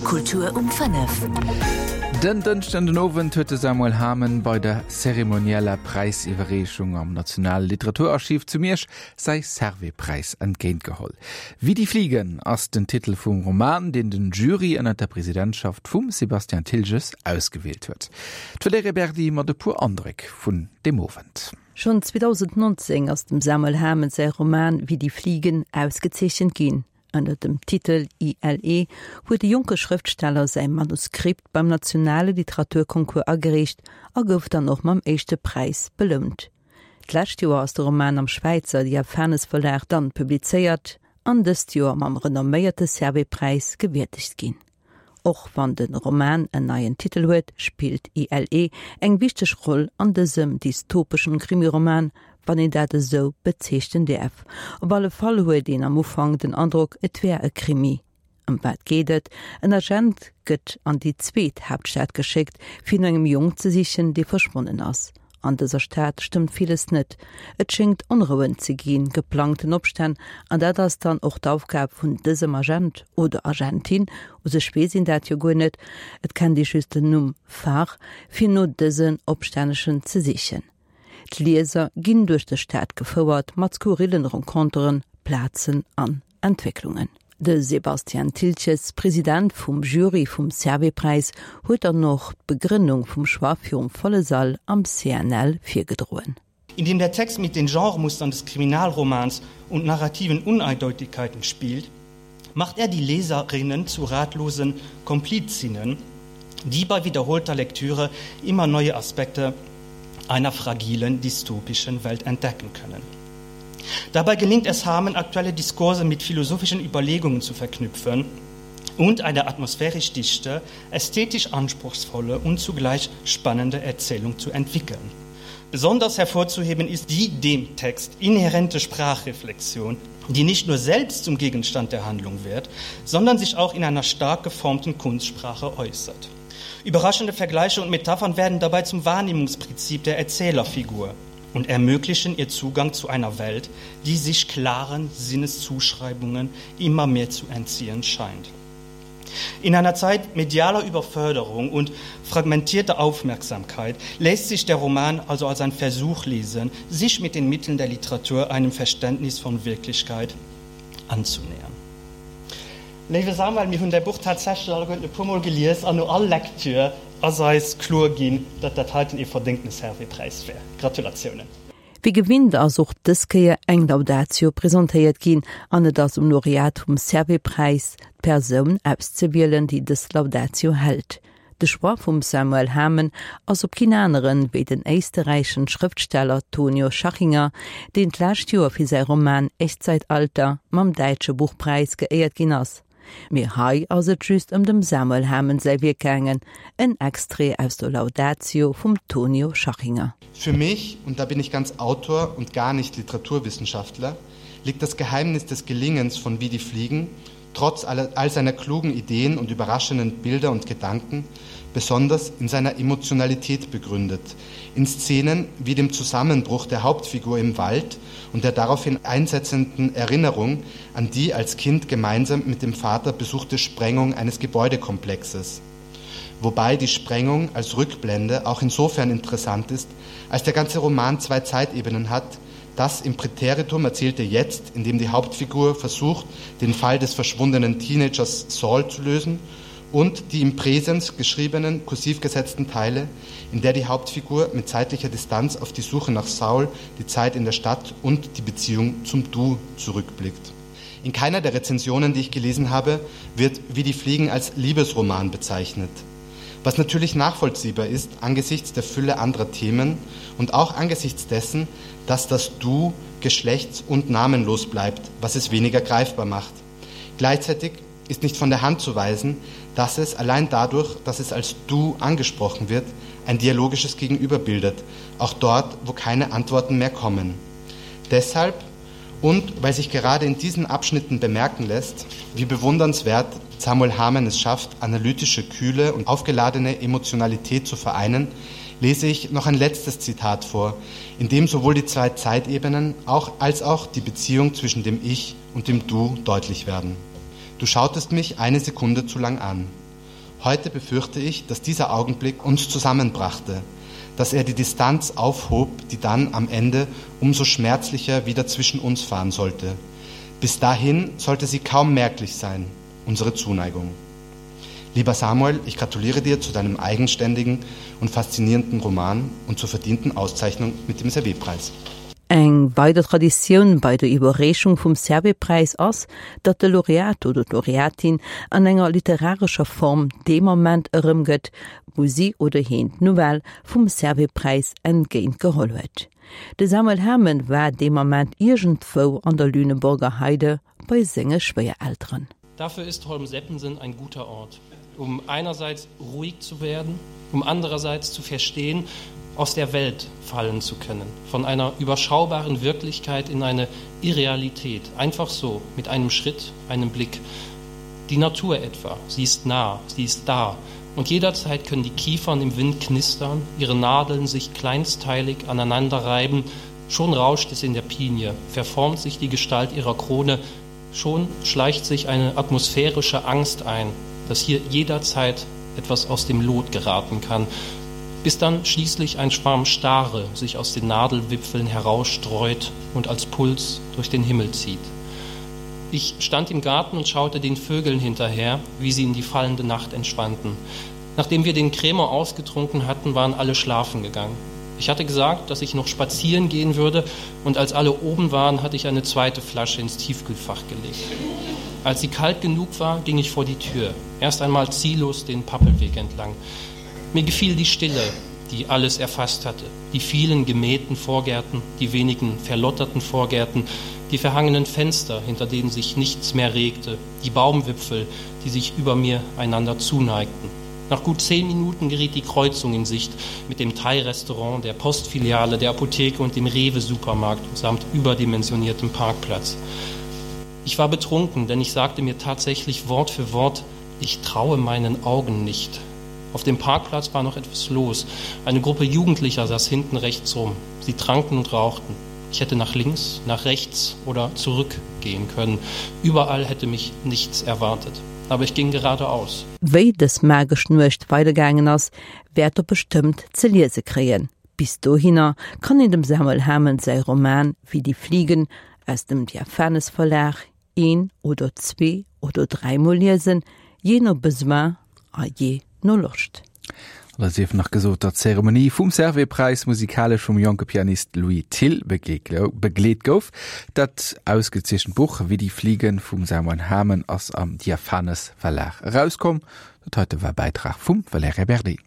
Kultur um 5. Den Dënschden den Owend huet de Samuel Hamen bei der zeremonieller Präisiwwerreechung am Nationale Literaturarchiv zu Miersch säi Servais-Präis entgéintgeholl. Wie die Fliegen ass den Titel vum Roman, deen den Jury ënner der Presidentschaft vum Sébastien Thiltges ausgewielt huet. D'Valerija Berdi mat e puer Andréck vun deem Owend. Schonn 2019 ass dem Samuel Hamen säi Roman Wie die Fliegen ausgezeechent ginn. Ënner dem Titel ILE huet de jonke Schrëftsteller säi Manuskript beim nationale Literaturconcours agereecht a gouf dann och mam éischte Präis belount. D'lescht Joer ass de Roman am Schwäizer Diaphanes Verlag dann publizéiert an dëst Joer mam renomméierte Servais-Präis gewierdegt ginn. Och wann de Roman en neien Titel huet, spillt ILE eng wichteg Roll an dësem dystopeschen Krimiroman, wann een dat esou bezeechnen däerf. Op alle Fall huet een am Ufank den Androck, et wär e Krimi. Ëm wat geet et? En Agent gëtt an déi zweet Haaptstad geschéckt, fir no engem Jong ze sichen, dee verschwonnen ass. An dëser Stad stëmmt villes net. Et schéngt Onrouen ze ginn, geplangten Opstänn, an dat ass dann och d'Aufgab vun dësem Agent oder Agentin, u sech weess een dat jo guer net, et kennt ee just den Numm Phare, fir no dësen Opstänneschen ze sichen. D'Lieser ginn duerch dës Stad gefouert mat skurrillen Renconteren, Plazen an Entwécklungen. De Sebastian Thiltges, President vum Jury vum Servais-Präis, huet dann och d'Begrënnung vum Choix virum volle Sall am CNL virgedroen. Indem der Text mit den Genremustern des Kriminalromans und narrativen Uneindeutigkeiten spielt, macht er die Leserinnen zu ratlosen Komplizinnen, die bei wiederholter Lektüre immer neue Aspekte einer fragilen dystopischen Welt entdecken können. Dabei gelingt es Hamen, aktuelle Diskurse mit philosophischen Überlegungen zu verknüpfen und eine atmosphärisch dichte, ästhetisch anspruchsvolle und zugleich spannende Erzählung zu entwickeln. Besonders hervorzuheben ist die dem Text inhärente Sprachreflexion, die nicht nur selbst zum Gegenstand der Handlung wird, sondern sich auch in einer stark geformten Kunstsprache äußert. Überraschende Vergleiche und Metaphern werden dabei zum Wahrnehmungsprinzip der Erzählerfigur und ermöglichen ihr Zugang zu einer Welt, die sich klaren Sinneszuschreibungen immer mehr zu entziehen scheint. In einer Zeit medialer Überförderung und fragmentierter Aufmerksamkeit lässt sich der Roman also als ein Versuch lesen, sich mit den Mitteln der Literatur einem Verständnis von Wirklichkeit anzunähern. Léiwe Samuel, mir hunn däi Buch tatsächlech alleguerten e puermol gelies an no all Lektür ass eis kloer ginn, datt dat heiten ee verdéngtene Servais-Präis wär. Gratulatiounen! Wéi gewinnt ass och dës Kéier eng Laudatio presentéiert ginn an et ass um Laureat vum Servais-Präis, d'Persoun auszewielen, déi dës Laudatio hält. De Choix vum Samuel Hamen ass op keen aneren wéi den éisterräichen Schrëftsteller Tonio Schachinger, deen d'lescht Joer fir säi Roman Echtzeitalter mam Däitsche Buchpräis geéiert ginn ass. Mee hei ass et just ëm dem Samuel Hamen säi Wierk gaangen, en Extrait aus der Laudatio vum Tonio Schachinger. Für mich, und da bin ich ganz Autor und gar nicht Literaturwissenschaftler, liegt das Geheimnis des Gelingens von Wie die Fliegen trotz aller, all seiner klugen Ideen und überraschenden Bilder und Gedanken, besonders in seiner Emotionalität begründet, in Szenen wie dem Zusammenbruch der Hauptfigur im Wald und der daraufhin einsetzenden Erinnerung an die als Kind gemeinsam mit dem Vater besuchte Sprengung eines Gebäudekomplexes. Wobei die Sprengung als Rückblende auch insofern interessant ist, als der ganze Roman zwei Zeitebenen hat, das im Präteritum erzählte jetzt, in dem die Hauptfigur versucht, den Fall des verschwundenen Teenagers Saul zu lösen, und die im Präsens geschriebenen, kursiv gesetzten Teile, in der die Hauptfigur mit zeitlicher Distanz auf die Suche nach Saul, die Zeit in der Stadt und die Beziehung zum Du zurückblickt. In keiner der Rezensionen, die ich gelesen habe, wird Wie die Fliegen als Liebesroman bezeichnet. Was natürlich nachvollziehbar ist angesichts der Fülle anderer Themen und auch angesichts dessen, dass das Du geschlechts- und namenlos bleibt, was es weniger greifbar macht. Gleichzeitig ist nicht von der Hand zu weisen, dass es allein dadurch, dass es als Du angesprochen wird, ein dialogisches Gegenüber bildet, auch dort, wo keine Antworten mehr kommen. Deshalb und weil sich gerade in diesen Abschnitten bemerken lässt, wie bewundernswert Samuel Hamann es schafft, analytische Kühle und aufgeladene Emotionalität zu vereinen, lese ich noch ein letztes Zitat vor, in dem sowohl die zwei Zeitebenen auch, als auch die Beziehung zwischen dem Ich und dem Du deutlich werden. Du schautest mich eine Sekunde zu lang an. Heute befürchte ich, dass dieser Augenblick uns zusammenbrachte, dass er die Distanz aufhob, die dann am Ende umso schmerzlicher wieder zwischen uns fahren sollte. Bis dahin sollte sie kaum merklich sein, unsere Zuneigung. Lieber Samuel, ich gratuliere dir zu deinem eigenständigen und faszinierenden Roman und zur verdienten Auszeichnung mit dem Servetpreis. Eng weider Traditioun bei der Iwwerreechung vum Servais-Präis ass, datt de Laureat oder d'Laureatin an enger literarescher Form dee Moment erëmgëtt, wou si oder heen d'Nouvelle vum Servais-Präis entgéint geholl huet. De Samuel Hamen war dee Moment iergendwou an der Lüneburger Heide bei senge Schwéierelteren. Dafür ist Holm-Seppensen ein guter Ort, um einerseits ruhig zu werden, um andererseits zu verstehen, aus der Welt fallen zu können, von einer überschaubaren Wirklichkeit in eine Irrealität, einfach so, mit einem Schritt, einem Blick. Die Natur etwa, sie ist nah, sie ist da, und jederzeit können die Kiefern im Wind knistern, ihre Nadeln sich kleinsteilig aneinanderreiben, schon rauscht es in der Pinie, verformt sich die Gestalt ihrer Krone, schon schleicht sich eine atmosphärische Angst ein, dass hier jederzeit etwas aus dem Lot geraten kann, bis dann schließlich ein Schwarm Stare sich aus den Nadelwipfeln herausstreut und als Puls durch den Himmel zieht. Ich stand im Garten und schaute den Vögeln hinterher, wie sie in die fallende Nacht entschwanden. Nachdem wir den Krämer ausgetrunken hatten, waren alle schlafen gegangen. Ich hatte gesagt, dass ich noch spazieren gehen würde, und als alle oben waren, hatte ich eine zweite Flasche ins Tiefkühlfach gelegt. Als sie kalt genug war, ging ich vor die Tür, erst einmal ziellos den Pappelweg entlang. Mir gefiel die Stille, die alles erfasst hatte, die vielen gemähten Vorgärten, die wenigen verlotterten Vorgärten, die verhangenen Fenster, hinter denen sich nichts mehr regte, die Baumwipfel, die sich über mir einander zuneigten. Nach gut zehn Minuten geriet die Kreuzung in Sicht mit dem Thai-Restaurant, der Postfiliale, der Apotheke und dem Rewe-Supermarkt samt überdimensioniertem Parkplatz. Ich war betrunken, denn ich sagte mir tatsächlich Wort für Wort: Ich traue meinen Augen nicht. Auf dem Parkplatz war noch etwas los. Eine Gruppe Jugendlicher saß hinten rechts rum. Sie tranken und rauchten. Ich hätte nach links, nach rechts oder zurückgehen können. Überall hätte mich nichts erwartet. Aber ich ging geradeaus. Wéi dës magesch Nuecht weidergaangen ass, wäert der bestëmmt ze liese kréien. Bis dohinner kann een dem Samuel Hamen säi Roman Wie die Fliegen aus dem Diaphanes Verlag een oder zwee oder dräimol liesen, jee no Besoin a jee no Loscht. An da sief nach gesot, datt d'Zeremonie vum Servais-Präis musikalesch vum jonke Pianist Louis Thill begleet gouf. Dat ausgezeechent Buch Wie die Fliegen vum Samuel Hamen ass am Diaphanes Verlag erauskomm. Dat heite war e Bäitrag vum Valerija Berdi.